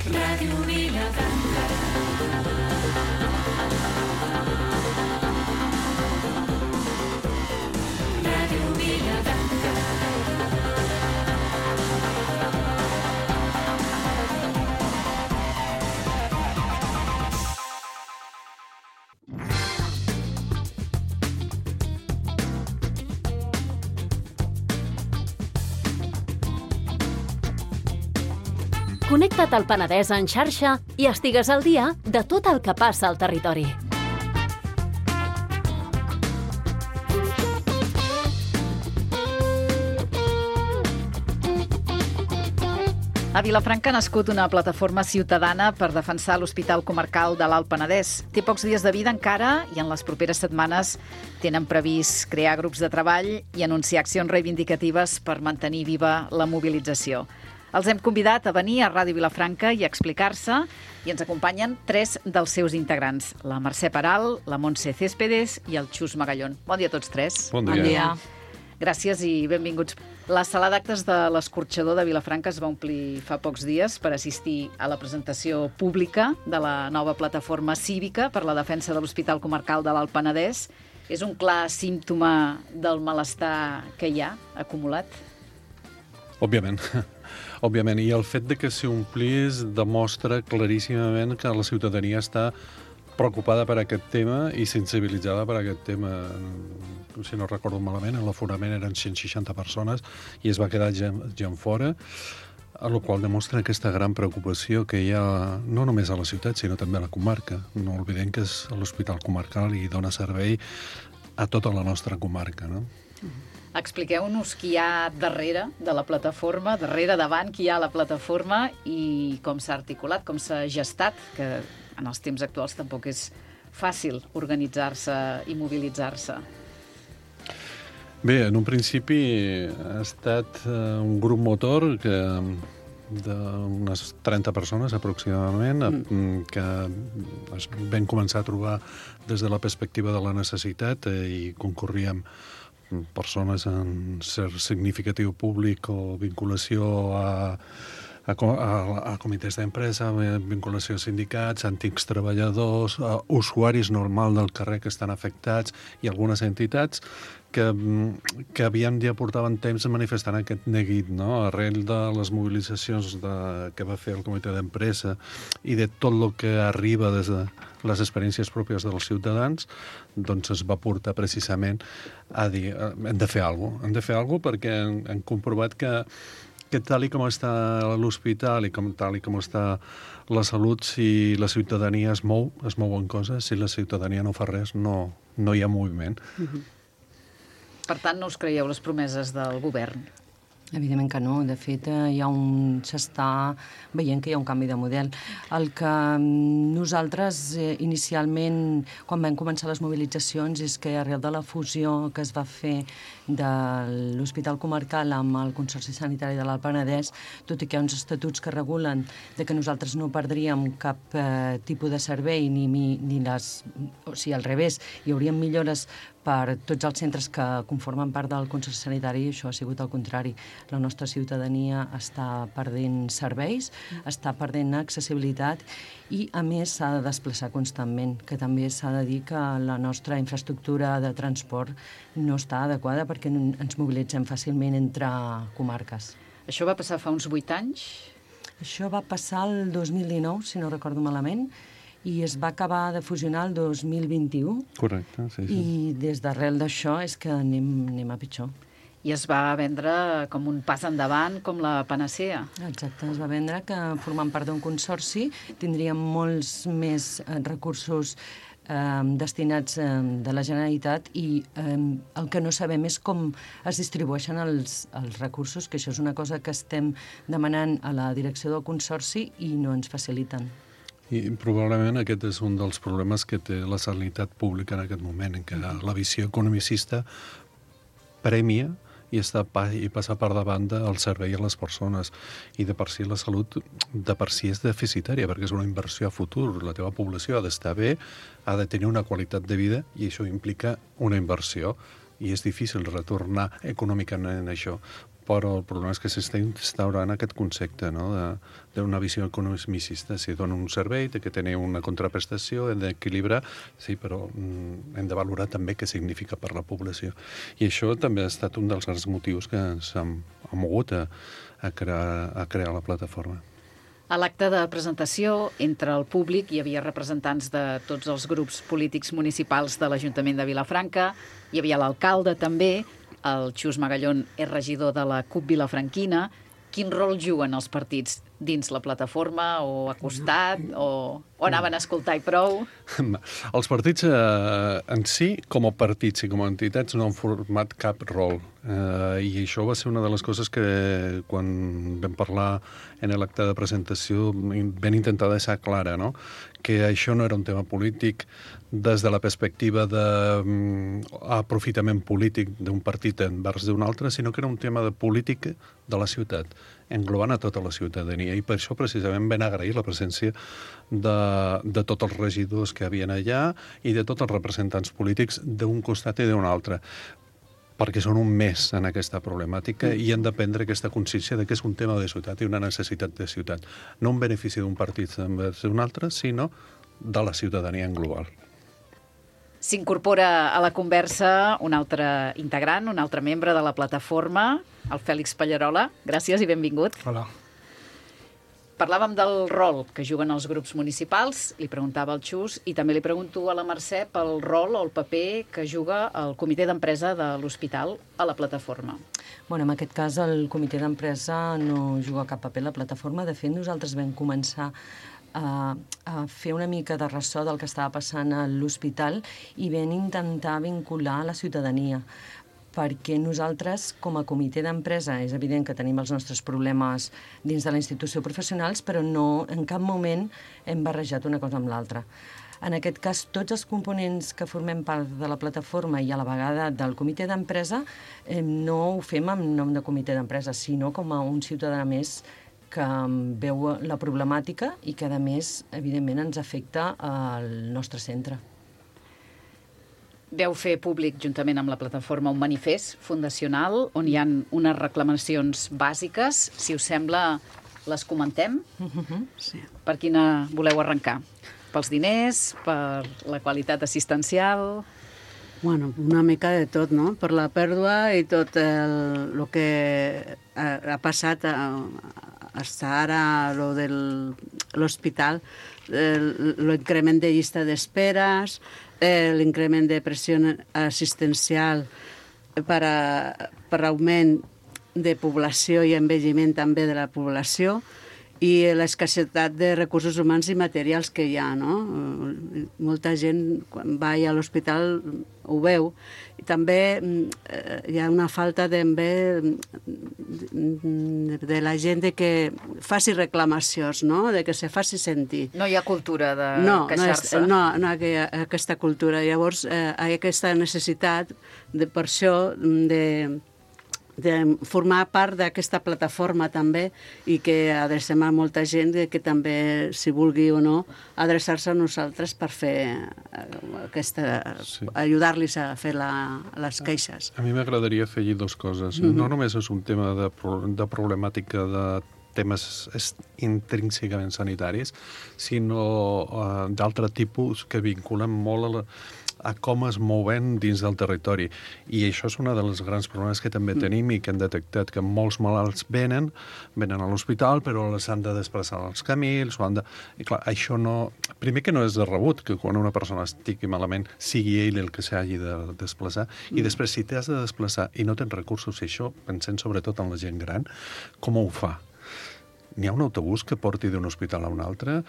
Ràdio Vilafranca. Ràdio Vilafranca. Connecta't al Penedès en xarxa i estigues al dia de tot el que passa al territori. A Vilafranca ha nascut una plataforma ciutadana per defensar l'Hospital Comarcal de l'Alt Penedès. Té pocs dies de vida encara i en les properes setmanes tenen previst crear grups de treball i anunciar accions reivindicatives per mantenir viva la mobilització. Els hem convidat a venir a Ràdio Vilafranca i a explicar-se i ens acompanyen 3 dels seus integrants, la Mercè Peral, la Montse Céspedes i el Xus Magallón. Bon dia a tots 3. Bon dia. Gràcies i benvinguts. La sala d'actes de l'Escorxador de Vilafranca es va omplir fa pocs dies per assistir a la presentació pública de la nova plataforma cívica per la defensa de l'Hospital Comarcal de l'Alt Penedès. És un clar símptoma del malestar que hi ha acumulat? Òbviament, i el fet de que s'omplís demostra claríssimament que la ciutadania està preocupada per aquest tema i sensibilitzada per aquest tema. Si no recordo malament, en l'aforament eren 160 persones i es va quedar gent fora, a la qual demostra aquesta gran preocupació que hi ha no només a la ciutat, sinó també a la comarca. No oblidem que és l'Hospital Comarcal i dona servei a tota la nostra comarca, no? Expliqueu-nos qui hi ha darrere de la plataforma, davant qui hi ha a la plataforma i com s'ha articulat, com s'ha gestat, que en els temps actuals tampoc és fàcil organitzar-se i mobilitzar-se. Bé, en un principi ha estat un grup motor d'unes 30 persones aproximadament que es van començar a trobar des de la perspectiva de la necessitat i concorríem persones en cert significatiu públic o vinculació a comitès d'empresa, vinculació a sindicats, antics treballadors, usuaris normal del carrer que estan afectats i algunes entitats que havien ja portaven temps manifestant aquest neguit, no? Arrel de les mobilitzacions que va fer el comitè d'empresa i de tot el que arriba des de les experiències pròpies dels ciutadans, doncs es va portar precisament a dir hem de fer alguna cosa. Hem de fer alguna cosa perquè hem comprovat que tal com està l'hospital i tal com està la salut, si la ciutadania es mouen coses, si la ciutadania no fa res, no hi ha moviment. Per tant, no us creieu les promeses del govern? Evidentment que no. De fet, s'està veient que hi ha un canvi de model. El que nosaltres inicialment, quan vam començar les mobilitzacions, és que arrel de la fusió que es va fer de l'Hospital Comarcal amb el Consorci Sanitari de l'Alt Penedès, tot i que hi ha uns estatuts que regulen de que nosaltres no perdríem cap tipus de servei ni les... O sigui, al revés, hi haurien millores per tots els centres que conformen part del Consorci Sanitari, això ha sigut el contrari. La nostra ciutadania està perdent serveis, està perdent accessibilitat i, a més, s'ha de desplaçar constantment, que també s'ha de dir que la nostra infraestructura de transport no està adequada perquè ens mobilitzem fàcilment entre comarques. Això va passar fa uns 8 anys? Això va passar el 2019, si no recordo malament, i es va acabar de fusionar el 2021. Correcte, sí. I des d'arrel d'això és que anem a pitjor. I es va vendre com un pas endavant, com la panacea. Exacte, es va vendre que formant part d'un consorci tindríem molts més recursos destinats de la Generalitat i el que no sabem és com es distribueixen els recursos, que això és una cosa que estem demanant a la direcció del consorci i no ens faciliten. I probablement aquest és un dels problemes que té la sanitat pública en aquest moment, en què la visió economicista premia i passa per davant del servei a les persones. I de per si la salut de per si és deficitària, perquè és una inversió a futur. La teva població ha d'estar bé, ha de tenir una qualitat de vida i això implica una inversió. I és difícil retornar econòmicament això. però el problema és que s'està instaurant aquest concepte, no?, d'una visió economicista. Si dona un servei, té que tenir una contraprestació, hem d'equilibrar, sí, però hem de valorar també què significa per la població. I això també ha estat un dels grans motius que ens han mogut a crear la plataforma. A l'acte de presentació, entre el públic hi havia representants de tots els grups polítics municipals de l'Ajuntament de Vilafranca, hi havia l'alcalde també, el Xus Magallón és regidor de la CUP Vilafranquina. Quin rol juguen els partits dins la plataforma o a costat o anaven a escoltar i prou? Els partits en si, com a partits i com a entitats, no han format cap rol. I això va ser una de les coses que, quan vam parlar en l'acte de presentació, vam intentar deixar clara, no?, que això no era un tema polític des de la perspectiva d'aprofitament polític d'un partit envers d'un altre, sinó que era un tema de política de la ciutat, englobant a tota la ciutadania. I per això, precisament, vam agrair la presència de tots els regidors que havien allà i de tots els representants polítics d'un costat i d'un altre, perquè són un més en aquesta problemàtica i han de prendre aquesta consciència de que és un tema de ciutat i una necessitat de ciutat. No un benefici d'un partit envers d'un altre, sinó de la ciutadania en global. S'incorpora a la conversa un altre integrant, un altre membre de la plataforma, el Fèlix Pallarola. Gràcies i benvingut. Hola. Parlàvem del rol que juguen els grups municipals, li preguntava al Xus, i també li pregunto a la Mercè pel rol o el paper que juga el comitè d'empresa de l'hospital a la plataforma. Bueno, en aquest cas el comitè d'empresa no juga cap paper a la plataforma. De fet, nosaltres vam començar a fer una mica de ressò del que estava passant a l'hospital i vam intentar vincular la ciutadania, perquè nosaltres, com a comitè d'empresa, és evident que tenim els nostres problemes dins de la institució professionals, però no, en cap moment hem barrejat una cosa amb l'altra. En aquest cas, tots els components que formem part de la plataforma i a la vegada del comitè d'empresa no ho fem en nom de comitè d'empresa, sinó com a un ciutadà més que veu la problemàtica i que, a més, evidentment, ens afecta al nostre centre. Veu fer públic, juntament amb la plataforma, un manifest fundacional on hi ha unes reclamacions bàsiques. Si us sembla, les comentem? Sí. Per quina voleu arrencar? Pels diners? Per la qualitat assistencial? Bueno, una mica de tot, no? Per la pèrdua i tot el que ha passat fins ara, lo de l'hospital, l'increment de llista d'esperes, l'increment de pressió assistencial per augment de població i envelliment també de la població i l'escassetat de recursos humans i materials que hi ha, no? Molta gent, quan va a l'hospital, ho veu. I també hi ha una falta també de la gent de que faci reclamacions, no?, de que se faci sentir. No hi ha cultura de queixar-se. No hi ha aquesta cultura. Llavors, hi ha aquesta necessitat, per això, de formar part d'aquesta plataforma també i que adrecem a molta gent que també, si vulgui o no, adreçar-se a nosaltres per fer ajudar-los a fer les queixes. A mi m'agradaria afegir dues coses. No només és un tema de problemàtica de temes intrínsecament sanitaris, sinó d'altre tipus que vinculen molt a com es mouen dins del territori. I això és un dels grans problemes que també tenim i que hem detectat, que molts malalts venen a l'hospital, però les han de desplaçar als camins, I clar, això no... Primer que no és de rebut, que quan una persona estigui malament sigui ell el que s'hagi de desplaçar, i després, si t'has de desplaçar i no tens recursos, i això, pensem sobretot en la gent gran, com ho fa? N'hi ha un autobús que porti d'un hospital a un altre?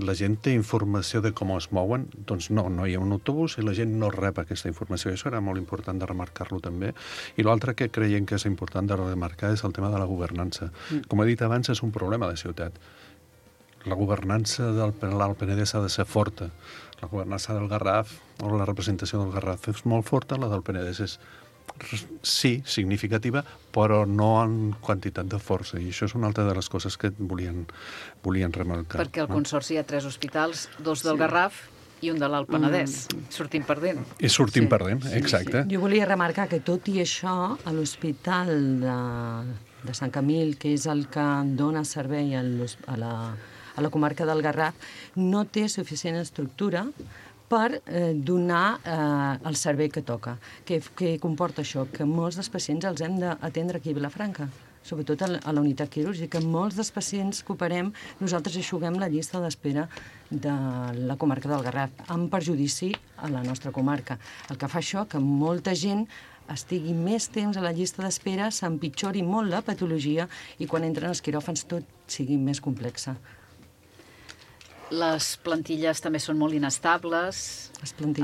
La gent té informació de com es mouen? Doncs no hi ha un autobús i la gent no rep aquesta informació. Això era molt important de remarcar-lo també. I l'altre que creiem que és important de remarcar és el tema de la governança. Com he dit abans, és un problema de ciutat. La governança del Penedès ha de ser forta. La governança del Garraf o la representació del Garraf és molt forta, la del Penedès és sí, significativa, però no en quantitat de força. I això és una altra de les coses que volien remarcar. Perquè al Consorci hi ha 3 hospitals, 2 del Garraf i un de l'Alt Penedès. Sortim perdent. I sortim perdent, exacte. Jo volia remarcar que tot i això, a l'Hospital de Sant Camil, que és el que dona servei a la comarca del Garraf, no té suficient estructura per donar el servei que toca. Què comporta això? Que molts dels pacients els hem d'atendre aquí a Vilafranca, sobretot a la unitat quirúrgica. Molts dels pacients que operem, nosaltres eixuguem la llista d'espera de la comarca del Garraf, amb perjudici a la nostra comarca. El que fa això que molta gent estigui més temps a la llista d'espera, s'empitjori molt la patologia i quan entren als quiròfans tot sigui més complexa. Les plantilles també són molt inestables,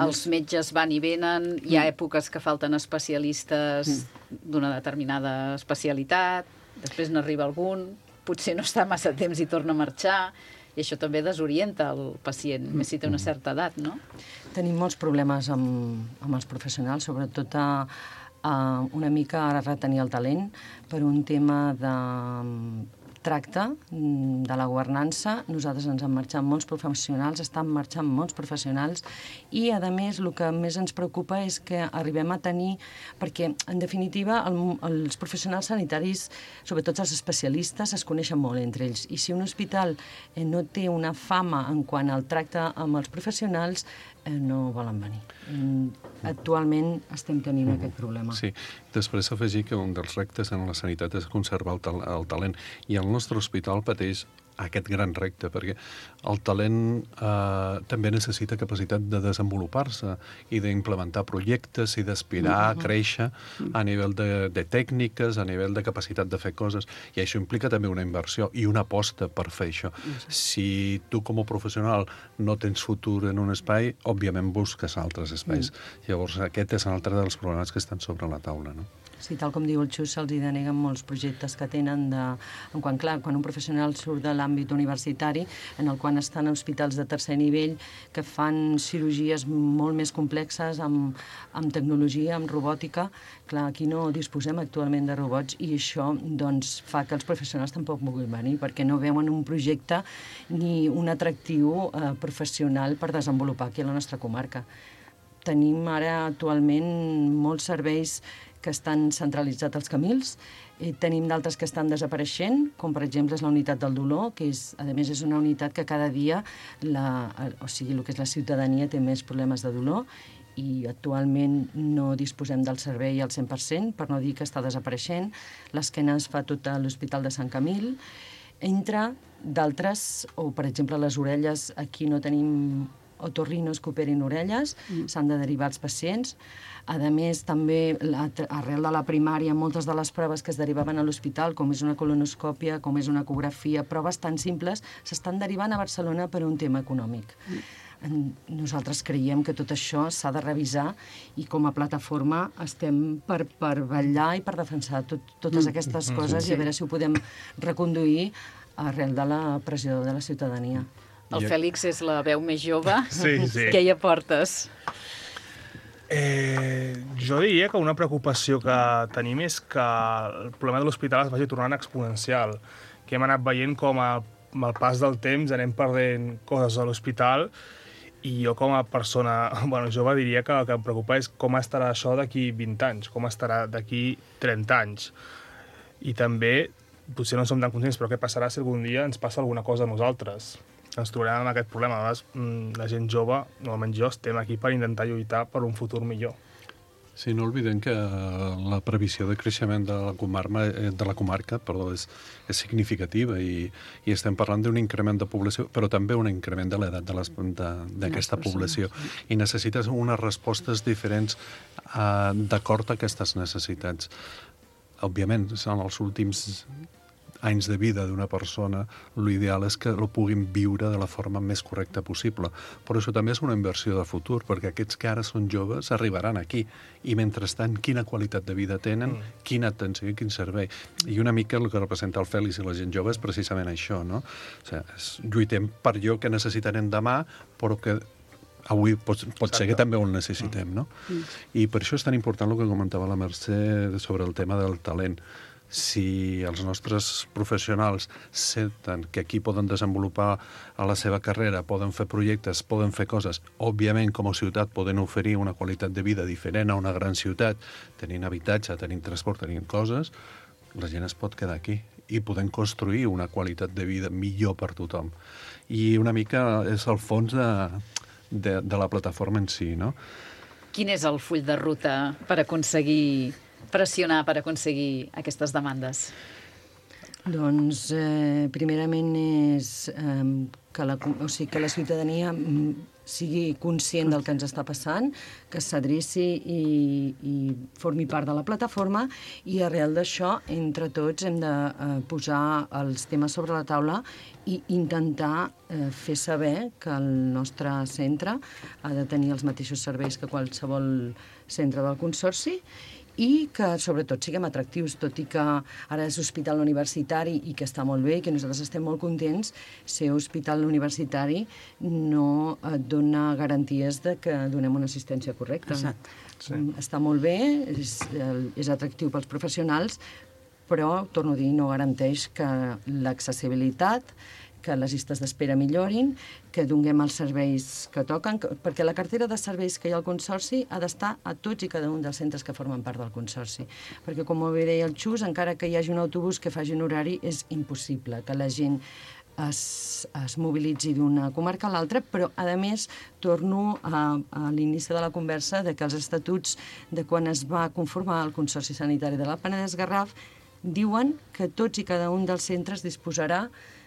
els metges van i venen, hi ha èpoques que falten especialistes d'una determinada especialitat, després n'arriba algun, potser no està massa temps i torna a marxar, i això també desorienta el pacient, més si té una certa edat, no? Tenim molts problemes amb els professionals, sobretot una mica a retenir el talent per un tema de tracte de la governança. Nosaltres ens han marxat molts professionals, estan marxant molts professionals i, a més, el que més ens preocupa és que arribem a tenir, perquè, en definitiva, els professionals sanitaris, sobretot els especialistes, es coneixen molt entre ells. I si un hospital no té una fama en quant al tracte amb els professionals, no volen venir. Actualment estem tenint aquest problema. Sí. Després afegir que un dels reptes en la sanitat és conservar el talent. I el nostre hospital pateix aquest gran repte, perquè el talent també necessita capacitat de desenvolupar-se i d'implementar projectes i d'aspirar a créixer a nivell de tècniques, a nivell de capacitat de fer coses. I això implica també una inversió i una aposta per fer això. Si tu com a professional no tens futur en un espai, òbviament busques altres espais. Llavors aquest és un altre dels problemes que estan sobre la taula, no? Sí, tal com diu el Xus, se'ls deneguen molts projectes que tenen quan un professional surt de l'àmbit universitari, en el qual estan a hospitals de tercer nivell que fan cirurgies molt més complexes amb tecnologia, amb robòtica. Clar, aquí no disposem actualment de robots i això doncs, fa que els professionals tampoc vulguin venir perquè no veuen un projecte ni un atractiu professional per desenvolupar aquí a la nostra comarca. Tenim ara actualment molts serveis que estan centralitzats als Camils, tenim d'altres que estan desapareixent, com per exemple és la unitat del dolor, que a més és una unitat que cada dia el que és la ciutadania té més problemes de dolor i actualment no disposem del servei al 100%, per no dir que està desapareixent. L'esquena es fa tot a l'Hospital de Sant Camil, entre d'altres, o per exemple les orelles, aquí no tenim otorrinos que operin orelles, s'han de derivar els pacients. A més, també, arrel de la primària, moltes de les proves que es derivaven a l'hospital, com és una colonoscòpia, com és una ecografia, proves tan simples, s'estan derivant a Barcelona per un tema econòmic. Nosaltres creiem que tot això s'ha de revisar i com a plataforma estem per vetllar i per defensar totes aquestes coses i a veure si ho podem reconduir arrel de la pressió de la ciutadania. El Fèlix és la veu més jove. Sí. Què hi aportes? Jo diria que una preocupació que tenim és que el problema de l'hospital es vagi tornant exponencial, que hem anat veient com amb el pas del temps anem perdent coses a l'hospital i jo com a persona jove diria que el que em preocupa és com estarà això d'aquí 20 anys, com estarà d'aquí 30 anys. I també, potser no som tan conscients, però què passarà si algun dia ens passa alguna cosa a nosaltres? Ens trobarem amb aquest problema. A vegades, la gent jove, no almenys jo, estem aquí per intentar lluitar per un futur millor. Sí, no oblidem que la previsió de creixement de la comarca és significativa i estem parlant d'un increment de població, però també un increment de l'edat d'aquesta població. I necessites unes respostes diferents d'acord a aquestes necessitats. Òbviament, en els últims anys de vida d'una persona, l'ideal és que lo puguin viure de la forma més correcta possible. Però això també és una inversió de futur, perquè aquests que ara són joves arribaran aquí. I mentrestant, quina qualitat de vida tenen, quina atenció i quin servei. I una mica el que representa el Fèlix i la gent jove és precisament això, no? O sigui, lluitem per allò que necessitarem demà, però que avui pot ser que també ho necessitem, no? I per això és tan important el que comentava la Mercè sobre el tema del talent. Si els nostres professionals senten que aquí poden desenvolupar a la seva carrera, poden fer projectes, poden fer coses, òbviament com a ciutat poden oferir una qualitat de vida diferent a una gran ciutat, tenint habitatge, tenint transport, tenint coses, la gent es pot quedar aquí i podem construir una qualitat de vida millor per tothom. I una mica és el fons de la plataforma en si, no? Quin és el full de ruta per aconseguir pressionar, per aconseguir aquestes demandes? Doncs, primerament és que la ciutadania sigui conscient del que ens està passant, que s'adreci i formi part de la plataforma, i arrel d'això, entre tots, hem de posar els temes sobre la taula i intentar fer saber que el nostre centre ha de tenir els mateixos serveis que qualsevol centre del Consorci, i que, sobretot, siguem atractius, tot i que ara és hospital universitari i que està molt bé i que nosaltres estem molt contents, ser hospital universitari no et dona garanties de que donem una assistència correcta. Exacte. Sí. Està molt bé, és atractiu pels professionals, però, torno a dir, no garanteix que l'accessibilitat, que les llistes d'espera millorin, que donem els serveis que toquen, perquè la cartera de serveis que hi ha al Consorci ha d'estar a tots i cada un dels centres que formen part del Consorci. Perquè, com molt bé deia el Xus, encara que hi hagi un autobús que faci un horari, és impossible que la gent es mobilitzi d'una comarca a l'altra, però, a més, torno a l'inici de la conversa de que els estatuts de quan es va conformar el Consorci Sanitari de l'Alt Penedès-Garraf diuen que tots i cada un dels centres disposarà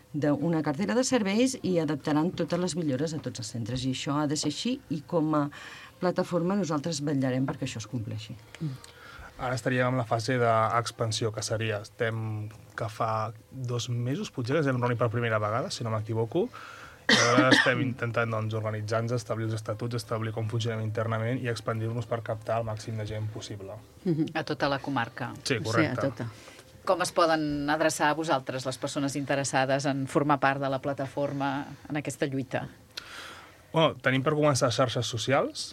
d'una cartera de serveis i adaptaran totes les millores a tots els centres. I això ha de ser així, i com a plataforma nosaltres vetllarem perquè això es compleixi. Ara estaríem en la fase d'expansió, que seria, que fa 2 mesos, potser que ens hem reunit per primera vegada, si no m'equivoco, i ara estem intentant organitzar-nos, establir els estatuts, establir com funcionem internament i expandir-nos per captar el màxim de gent possible. A tota la comarca. Sí, correcte. Sí, a tota. Com es poden adreçar a vosaltres, les persones interessades en formar part de la plataforma en aquesta lluita? Bueno, tenim per començar xarxes socials,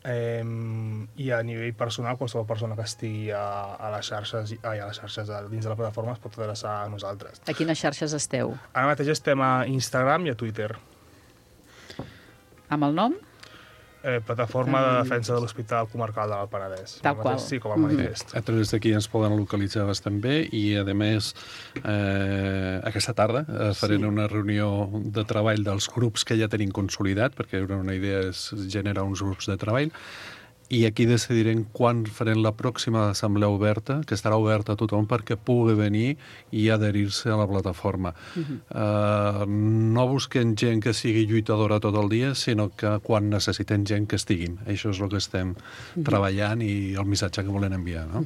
i a nivell personal, qualsevol persona que estigui a les xarxes dins de la plataforma es pot adreçar a nosaltres. A quines xarxes esteu? Ara mateix estem a Instagram i a Twitter. Amb el nom? Plataforma de defensa de l'Hospital Comarcal de l'Alt Penedès. Tal qual. Sí, com a manifest. A través d'aquí ens poden localitzar bastant bé i, a més, aquesta tarda farem una reunió de treball dels grups que ja tenim consolidat, perquè una idea és generar uns grups de treball, i aquí decidirem quan farem la pròxima assemblea oberta, que estarà oberta a tothom perquè pugui venir i adherir-se a la plataforma. No busquem gent que sigui lluitadora tot el dia, sinó que quan necessitem gent que estiguin. Això és el que estem treballant i el missatge que volem enviar, no?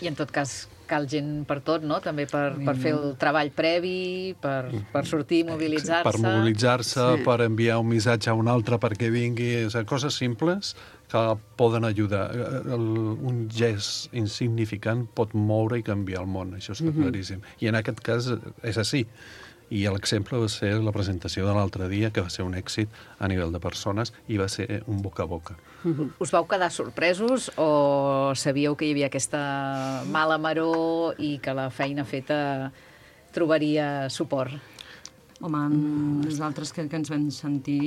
I en tot cas cal gent per tot, no? També per fer el treball previ, per sortir, mobilitzar-se. Per mobilitzar-se, Sí. per enviar un missatge a un altre perquè vingui, coses simples que poden ajudar. Un gest insignificant pot moure i canviar el món, això està claríssim. I en aquest cas és així. I l'exemple va ser la presentació de l'altre dia, que va ser un èxit a nivell de persones i va ser un boca a boca. Us vau quedar sorpresos o sabíeu que hi havia aquesta mala maror i que la feina feta trobaria suport? Home, nosaltres crec que ens vam sentir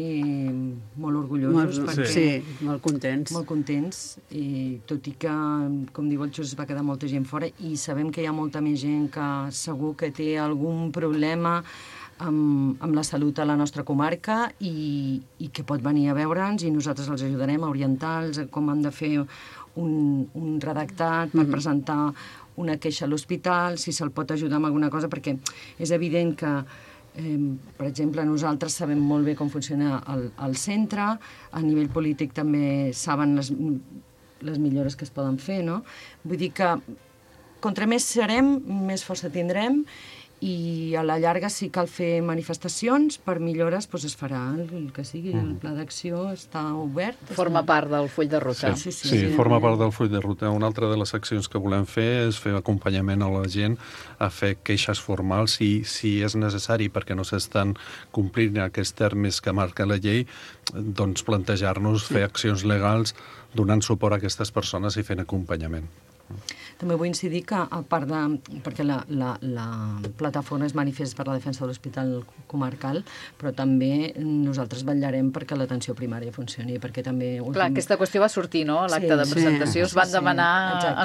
molt orgullosos, perquè Sí, molt contents. molt contents, i tot i que, com diu el Xus, es va quedar molta gent fora, i sabem que hi ha molta més gent que segur que té algun problema amb la salut a la nostra comarca i que pot venir a veure'ns, i nosaltres els ajudarem a orientar-los a com han de fer un redactat per presentar una queixa a l'hospital, si se'l pot ajudar amb alguna cosa, perquè és evident que per exemple, nosaltres sabem molt bé com funciona el centre, a nivell polític també saben les millores que es poden fer, no? Vull dir que contra més serem, més força tindrem, i a la llarga, si cal fer manifestacions per millores, doncs es farà el que sigui. El pla d'acció està obert. Forma part del full de ruta. Sí, forma part del full de ruta. Una altra de les accions que volem fer és fer acompanyament a la gent a fer queixes formals si és necessari, perquè no s'estan complint aquests termes que marca la llei, doncs plantejar-nos fer accions legals donant suport a aquestes persones i fent acompanyament. També vull incidir que, a part de... perquè la plataforma és manifest per la defensa de l'Hospital Comarcal, però també nosaltres vetllarem perquè l'atenció primària funcioni, perquè també... Clar, aquesta qüestió va sortir, no?, a l'acte de presentació. Us van demanar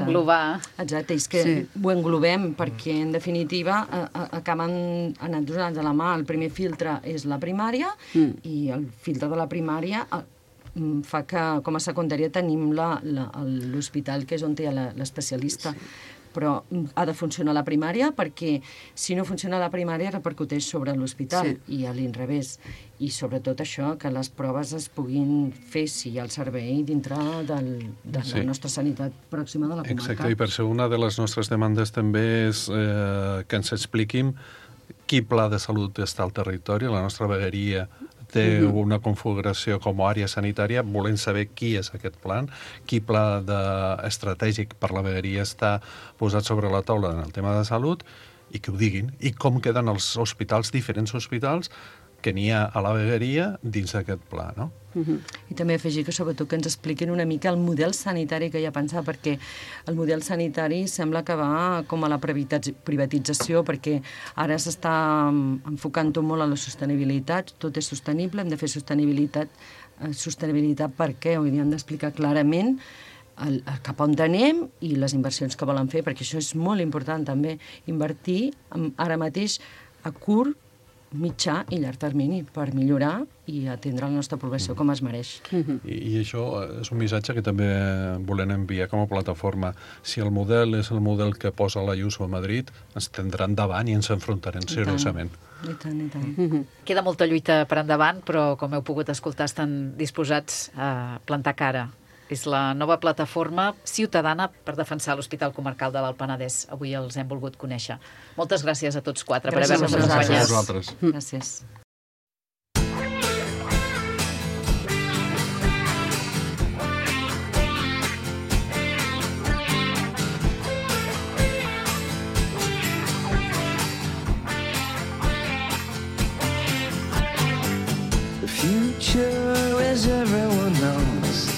englobar... Exacte, és que ho englobem perquè, en definitiva, acaben anant donant de la mà. El primer filtre és la primària i el filtre de la primària fa que, com a secundària, tenim l'hospital, que és on hi ha l'especialista. Però ha de funcionar la primària perquè, si no funciona la primària, repercuteix sobre l'hospital i a l'inrevés. I sobretot això, que les proves es puguin fer, si hi ha el servei, dintre de la nostra sanitat pròxima de la comarca. Exacte, i per això una de les nostres demandes també és que ens expliquin quin pla de salut està al territori. La nostra vegueria té una configuració com a àrea sanitària, volem saber qui és aquest plan, quin pla estratègic per la vegueria està posat sobre la taula en el tema de salut, i que ho diguin, i com queden els hospitals, diferents hospitals, que n'hi ha a la vegueria dins d'aquest pla, no? I també afegir que, sobretot, que ens expliquin una mica el model sanitari que hi ha pensat, perquè el model sanitari sembla que va com a la privatització, perquè ara s'està enfocant tot molt a la sostenibilitat, tot és sostenible, hem de fer sostenibilitat perquè ho hem d'explicar clarament cap on anem i les inversions que volen fer, perquè això és molt important també, invertir ara mateix a curt, mitjà i llarg termini per millorar i atendre la nostra població com es mereix. I això és un missatge que també volem enviar com a plataforma. Si el model és el model que posa l'Ayuso a Madrid, ens tindran davant i ens enfrontarem seriosament. I tant. Queda molta lluita per endavant, però com heu pogut escoltar estan disposats a plantar cara. És la nova plataforma ciutadana per defensar l'Hospital Comarcal de l'Alt Penedès. Avui els hem volgut conèixer. Moltes gràcies a tots quatre per haver-nos acompanyat. Gràcies a vosaltres. Gràcies. The future is everyone knows.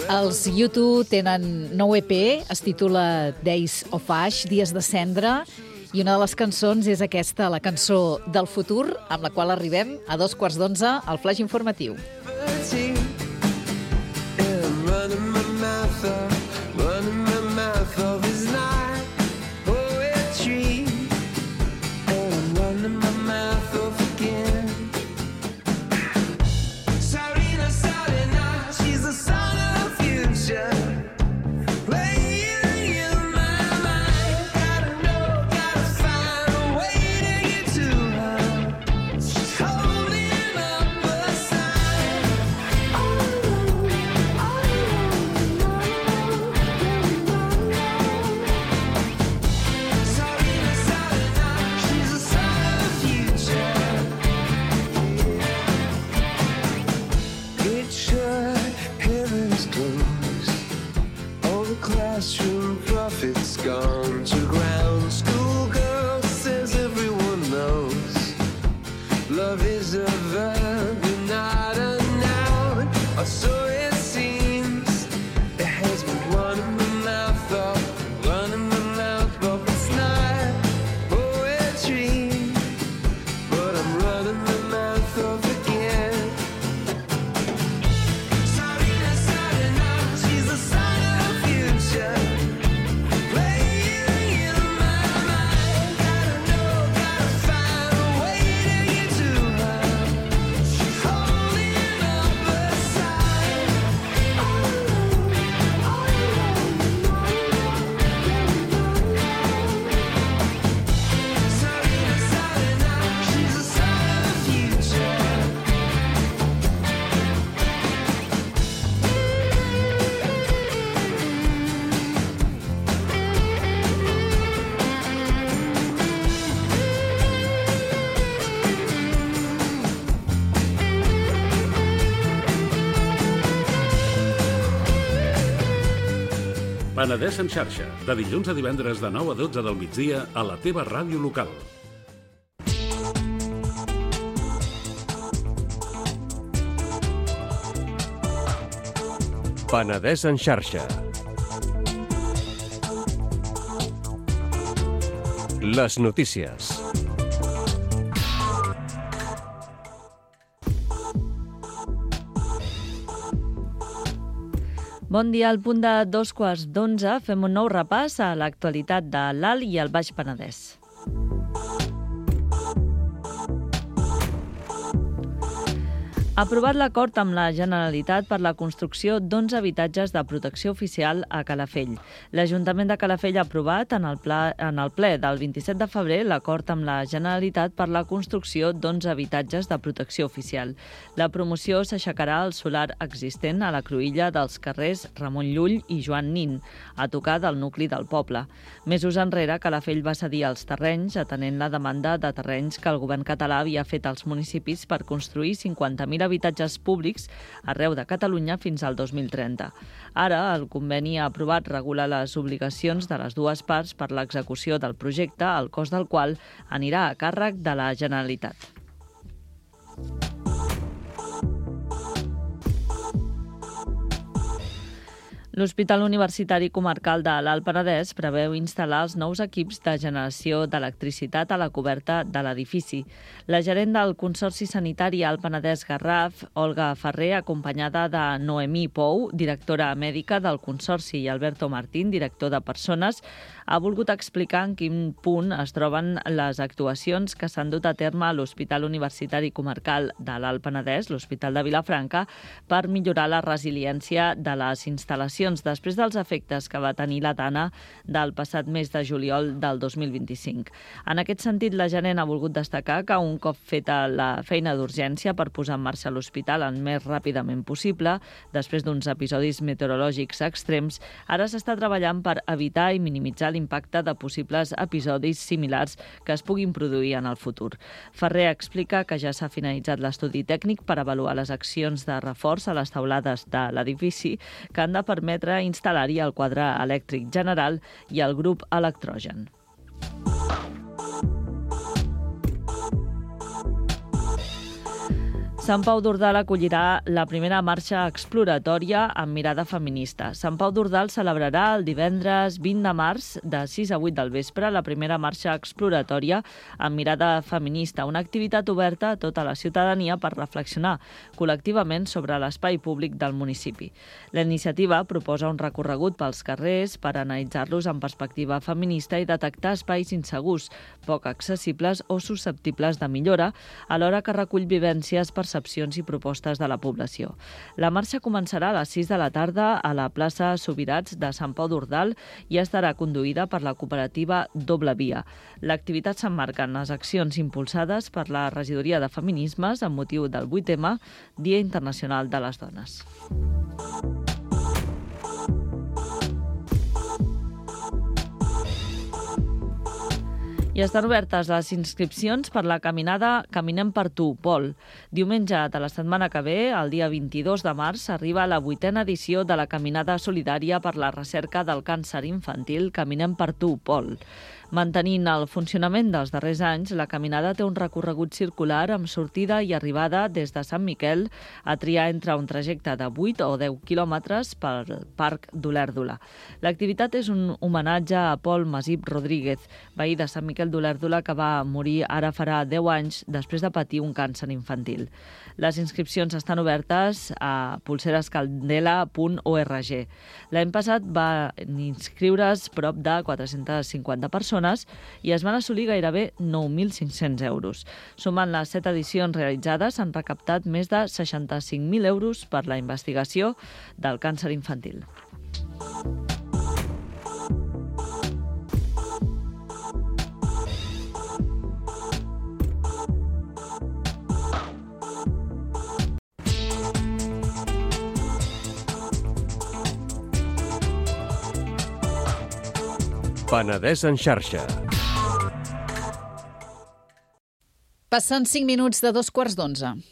Els U2 tenen nou EP, es titula Days of Ash, Dies de Cendra, i una de les cançons és aquesta, la cançó del futur, amb la qual arribem a 11:15 al Flaix Informatiu. Classroom profits gone to ground. Schoolgirl says everyone knows love is a verb and not a noun, or so it seems. It has been running my mouth off, but it's not poetry. But I'm running my mouth off again. Sarina, she's a sign of the future. Penedès en xarxa, de dilluns a divendres de 9 a 12 del migdia a la teva ràdio local. Penedès en xarxa. Les notícies. Bon dia, al punt de 11:15 fem un nou repàs a l'actualitat de l'Alt i el Baix Penedès. Aprovat l'acord amb la Generalitat per la construcció d'11 habitatges de protecció oficial a Calafell. L'Ajuntament de Calafell ha aprovat en el ple del 27 de febrer l'acord amb la Generalitat per la construcció d'11 habitatges de protecció oficial. La promoció s'aixecarà al solar existent a la cruïlla dels carrers Ramon Llull i Joan Nin, a tocar del nucli del poble. Mesos enrere, Calafell va cedir els terrenys, atenent la demanda de terrenys que el govern català havia fet als municipis per construir 50.000 habitatges públics arreu de Catalunya fins al 2030. Ara, el conveni aprovat regula les obligacions de les dues parts per l'execució del projecte, el cost del qual anirà a càrrec de la Generalitat. L'Hospital Universitari Comarcal de l'Alt Penedès preveu instal·lar els nous equips de generació d'electricitat a la coberta de l'edifici. La gerent del Consorci Sanitari Alt Penedès Garraf, Olga Ferrer, acompanyada de Noemí Pou, directora mèdica del Consorci, i Alberto Martín, director de Persones, ha volgut explicar en quin punt es troben les actuacions que s'han dut a terme a l'Hospital Universitari Comarcal de l'Alt Penedès, l'Hospital de Vilafranca, per millorar la resiliència de les instal·lacions després dels efectes que va tenir la Dana del passat mes de juliol del 2025. En aquest sentit, la gerent ha volgut destacar que un cop feta la feina d'urgència per posar en marxa l'hospital el més ràpidament possible, després d'uns episodis meteorològics extrems, ara s'està treballant per evitar i minimitzar l'impacte de possibles episodis similars que es puguin produir en el futur. Ferrer explica que ja s'ha finalitzat l'estudi tècnic per avaluar les accions de reforç a les teulades de l'edifici que han de permetre instal·lar-hi el quadre elèctric general i el grup electrogen. Sant Pau d'Ordal acollirà la primera marxa exploratòria amb mirada feminista. Sant Pau d'Ordal celebrarà el divendres 20 de març de 6 a 8 del vespre la primera marxa exploratòria amb mirada feminista, una activitat oberta a tota la ciutadania per reflexionar col·lectivament sobre l'espai públic del municipi. La iniciativa proposa un recorregut pels carrers per analitzar-los en perspectiva feminista i detectar espais insegurs, poc accessibles o susceptibles de millora, alhora que recull vivències, percepcions i propostes de la població. La marxa començarà a les 6 de la tarda a la plaça Subirats de Sant Pau d'Ordal i estarà conduïda per la cooperativa Doble Via. L'activitat s'emmarca en les accions impulsades per la Regidoria de Feminismes amb motiu del 8M, Dia Internacional de les Dones. I estan obertes les inscripcions per la caminada Caminem per tu, Pol. Diumenge de la setmana que ve, el dia 22 de març, arriba la 8a edició de la Caminada Solidària per la Recerca del Càncer Infantil Caminem per tu, Pol. Mantenint el funcionament dels darrers anys, la caminada té un recorregut circular amb sortida i arribada des de Sant Miquel a triar entre un trajecte de 8 o 10 quilòmetres pel Parc d'Olèrdola. L'activitat és un homenatge a Pol Masip Rodríguez, veí de Sant Miquel d'Olèrdola que va morir ara farà 10 anys després de patir un càncer infantil. Les inscripcions estan obertes a pulserascandela.org. L'any passat va inscriure's prop de 450 persones i es van assolir gairebé 9.500 euros. Sumant les 7 edicions realitzades, s'han recaptat més de 65.000 euros per la investigació del càncer infantil. Penedès en xarxa. Passen 5 minuts de 11:15.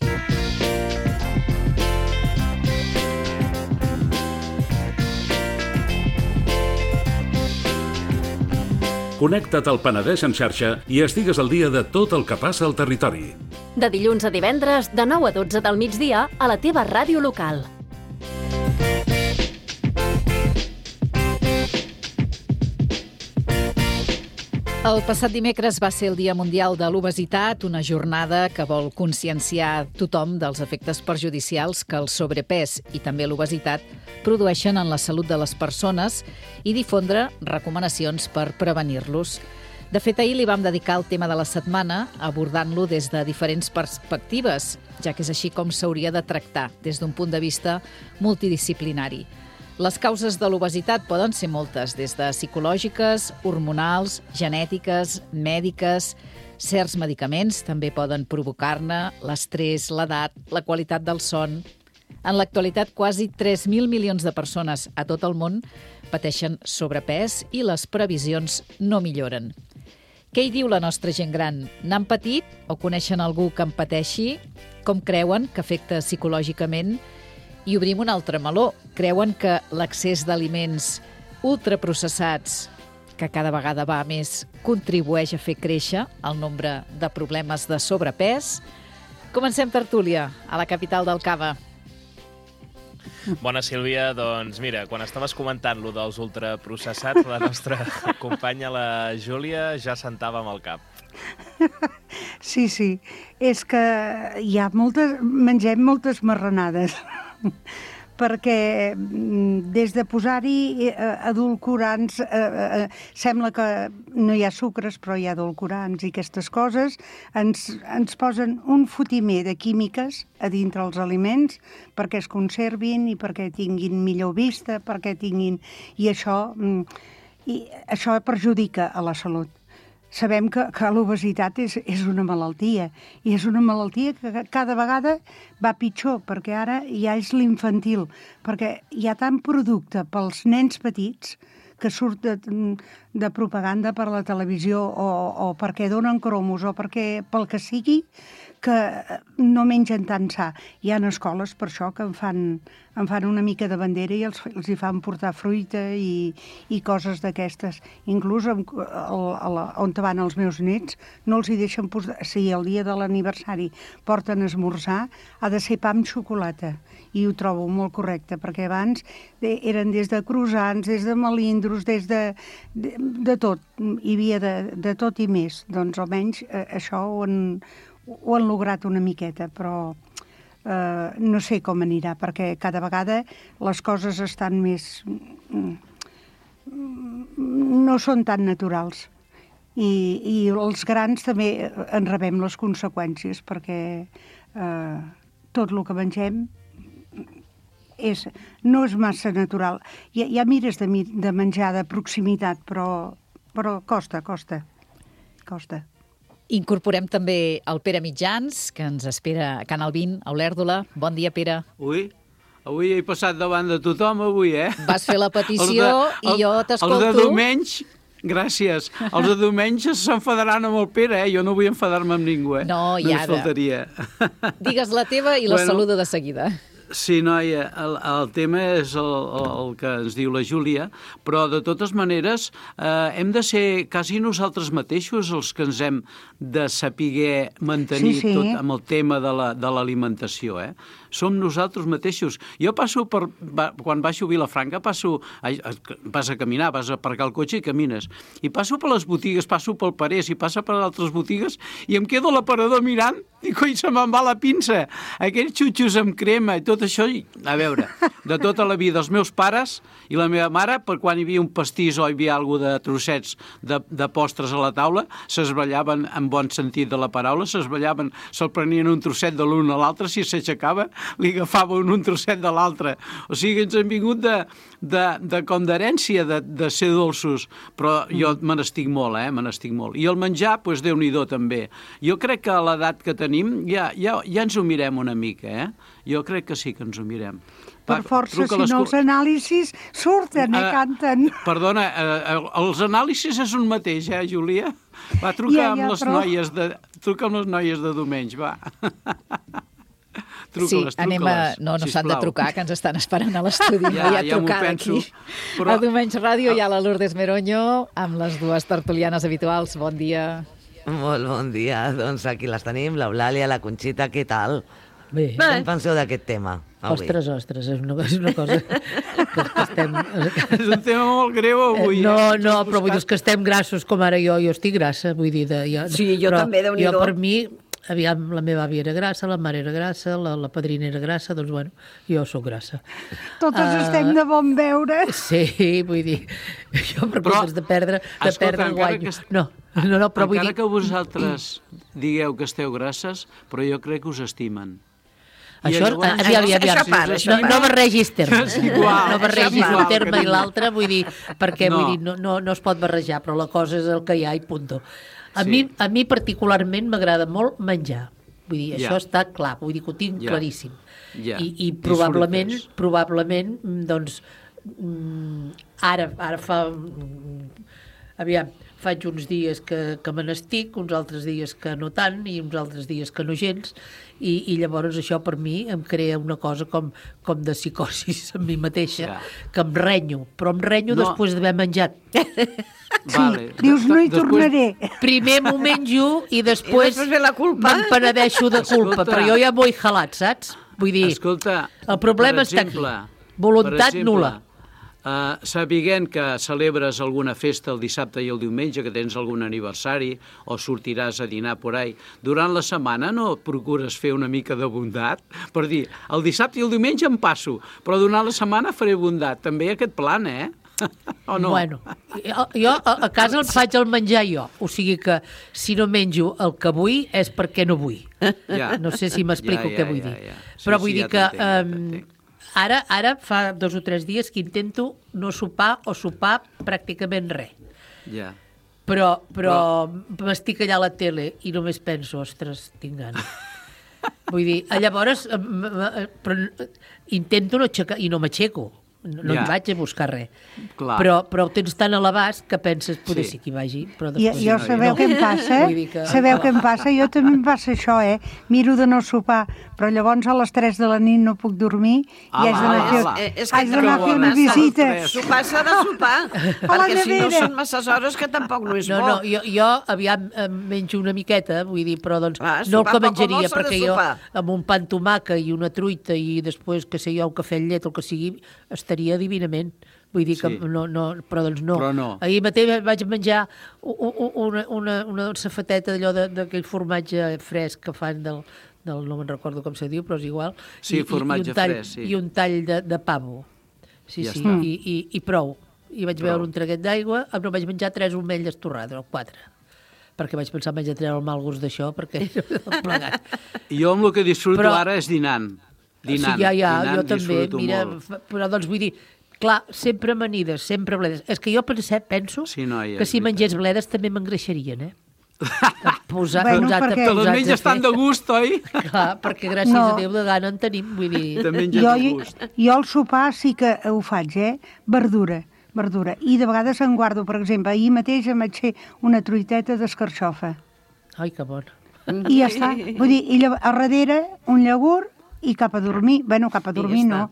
Connecta't al Penedès en xarxa i estigues al dia de tot el que passa al territori. De dilluns a divendres, de 9 a 12 del migdia, a la teva ràdio local. El passat dimecres va ser el Dia Mundial de l'Obesitat, una jornada que vol conscienciar tothom dels efectes perjudicials que el sobrepès i també l'obesitat produeixen en la salut de les persones i difondre recomanacions per prevenir-los. De fet, ahir li vam dedicar el tema de la setmana abordant-lo des de diferents perspectives, ja que és així com s'hauria de tractar des d'un punt de vista multidisciplinari. Les causes de l'obesitat poden ser moltes, des de psicològiques, hormonals, genètiques, mèdiques. Certs medicaments també poden provocar-ne, l'estrès, l'edat, la qualitat del son. En l'actualitat, quasi 3.000 milions de persones a tot el món pateixen sobrepès i les previsions no milloren. Què hi diu la nostra gent gran? N'han patit o coneixen algú que en pateixi? Com creuen que afecta psicològicament? I obrim un altre meló. Creuen que l'accés d'aliments ultraprocessats, que cada vegada va més, contribueix a fer créixer el nombre de problemes de sobrepès? Comencem tertúlia a la capital del Cava. Bona, Sílvia. Doncs mira, quan estaves comentant lo dels ultraprocessats, la nostra companya, la Júlia, ja sentava amb el cap. Sí, és que mengem moltes marranades, perquè des de posar-hi edulcorants, sembla que no hi ha sucres, però hi ha edulcorants i aquestes coses, ens posen un fotimer de químiques a dintre els aliments perquè es conservin i perquè tinguin millor vista, perquè tinguin... I això perjudica a la salut. Sabem que l'obesitat és una malaltia, i és una malaltia que cada vegada va pitjor, perquè ara ja és l'infantil, perquè hi ha tant producte pels nens petits que surt de propaganda per la televisió o perquè donen cromos o perquè pel que sigui, que no mengen tan sa. Hi ha escoles per això que en fan una mica de bandera i els hi fan portar fruita i coses d'aquestes. Inclús on van els meus nets no els hi deixen posar... Si el dia de l'aniversari porten esmorzar, ha de ser pa amb xocolata. I ho trobo molt correcte, perquè abans eren des de croissants, des de melindros, des de tot. Hi havia de tot i més. Doncs almenys això ho han lograt una miqueta, però no sé com anirà, perquè cada vegada les coses estan més... no són tan naturals. I els grans també en rebem les conseqüències, perquè tot el que mengem no és massa natural. Ja mires de menjar de proximitat, però costa. Incorporem també el Pere Mitjans, que ens espera a Can Albín, a Olèrdola. Bon dia, Pere. Avui he passat davant de tothom, Vas fer la petició i jo t'escolto. Els de diumenge, gràcies. Els de diumenge s'enfadaran amb el Pere, Jo no vull enfadar-me amb ningú, No, i ara. Només faltaria. Digues la teva i la saludo de seguida. Sí, noia, el tema és el que ens diu la Júlia, però de totes maneres hem de ser quasi nosaltres mateixos els que ens hem de saber mantenir tot amb el tema de l'alimentació, Som nosaltres mateixos. Jo passo quan baixo a Vilafranca, vas a caminar, vas a aparcar el cotxe i camines. I passo per les botigues, passo pel Parés i passa per altres botigues i em quedo a l'aparador mirant i coi, se me'n va la pinça. Aquells xutxos amb crema i tot això, a veure, de tota la vida, els meus pares i la meva mare, per quan hi havia un pastís o hi havia alguna de trossets de postres a la taula, s'esbrellaven, en bon sentit de la paraula, s'esbrellaven, se'l prenien un trosset de l'un a l'altre, si s'aixecava, li agafaven un trosset de l'altre. O sigui, ens han vingut com d'herència de ser dolços, però jo me n'estic molt, me n'estic molt. I el menjar, doncs Déu-n'hi-do també. Jo crec que a l'edat que tenim ja ens ho mirem una mica, Jo crec que sí que ens ho mirem. Per força, si no els anàlisis surten i canten. Perdona, els anàlisis és un mateix, Júlia? Va, truca amb les noies de diumenge, va. Sí, anem a... No s'han de trucar, que ens estan esperant a l'estudi. No hi ha trucada aquí. A Diumenge Ràdio hi ha la Lourdes Meroño amb les dues tertulianes habituals. Bon dia. Molt bon dia. Doncs aquí les tenim, l'Eulàlia, la Conxita, què tal? Bé. Què en penseu d'aquest tema? Ostres, és una cosa que estem... És un tema molt greu avui. No, però vull dir que estem grassos, com ara jo estic grassa, vull dir... Sí, jo també, Déu-n'hi-do. Jo, per mi, aviam, la meva àvia era grassa, la mare era grassa, la padrina era grassa, doncs, bueno, jo sóc grassa. Totes estem de bon veure. Sí, vull dir, jo per comptes de perdre guanyo. No, però vull dir... Encara que vosaltres digueu que esteu grasses, però jo crec que us estimen. Això, aviam, no barregis termes. No barregis un terme i l'altre, vull dir, perquè no es pot barrejar, però la cosa és el que hi ha i punto. A mi particularment m'agrada molt menjar. Vull dir, això està clar, vull dir que ho tinc claríssim. I probablement, doncs, ara fa... Aviam, faig uns dies que me n'estic, uns altres dies que no tant i uns altres dies que no gens, i llavors això per mi em crea una cosa com de psicosis amb mi mateixa, que em renyo, però em renyo després d'haver menjat. Sí, dius no hi tornaré. Primer m'ho menjo i després m'empenedeixo de culpa, però jo ja m'ho he jalat, saps? Vull dir, el problema està aquí. Voluntat nul·la. Sapiguent que celebres alguna festa el dissabte i el diumenge, que tens algun aniversari o sortiràs a dinar por ahí, durant la setmana no procures fer una mica de bondat? Per dir, el dissabte i el diumenge em passo, però durant la setmana faré bondat. També aquest plan, o no? Bueno, jo a casa el faig el menjar jo, o sigui que si no menjo el que vull és perquè no vull. No sé si m'explico què vull dir. Però vull dir que... Ara fa 2 o 3 dies que intento no sopar o sopar pràcticament res. Però m'estic allà a la tele i només penso, ostres, tinc gana. Vull dir, llavors intento no aixecar i no m'aixeco. No hi vaig a buscar res. Però ho tens tan a l'abast que penses, poder sí que hi vagi. Jo sabeu què em passa? Sabeu què em passa? Jo també em passa això, Miro de no sopar, però llavors a les 3 de la nit no puc dormir i haig d'anar a fer una visita. Sopar s'ha de sopar, perquè si no són masses hores que tampoc no és bo. No, jo aviam menjo una miqueta, vull dir, però doncs no el que menjaria, perquè jo amb un pa amb tomàquet i una truita i després, que sé jo, un cafè amb llet o el que sigui, estaria divinament. Vull dir que però doncs no. Ahir mateix vaig menjar una safateta d'allò d'aquell formatge fresc que fan no me'n recordo com se diu, però és igual. Sí, formatge fresc, sí. I un tall de pavo. Sí, i prou. I vaig beure un traguet d'aigua, no vaig menjar 3 omelles torrades, o 4. Perquè vaig pensar menjar treure el mal gust d'això, perquè no plegat. Jo amb el que disfruto ara és dinant. Sí, jo també, mira, però doncs vull dir, clar, sempre amanides, sempre bledes. És que jo penso que si mengés bledes també m'engreixarien, perquè les menges estan de gust, oi? Clar, perquè gràcies a Déu de gana en tenim, vull dir... Jo al sopar sí que ho faig, verdura. I de vegades en guardo, per exemple, ahir mateix em vaig fer una truiteta d'escarxofa. Ai, que bona. I ja està. Vull dir, i a darrere un llagurt i cap a dormir. Bueno, cap a dormir no,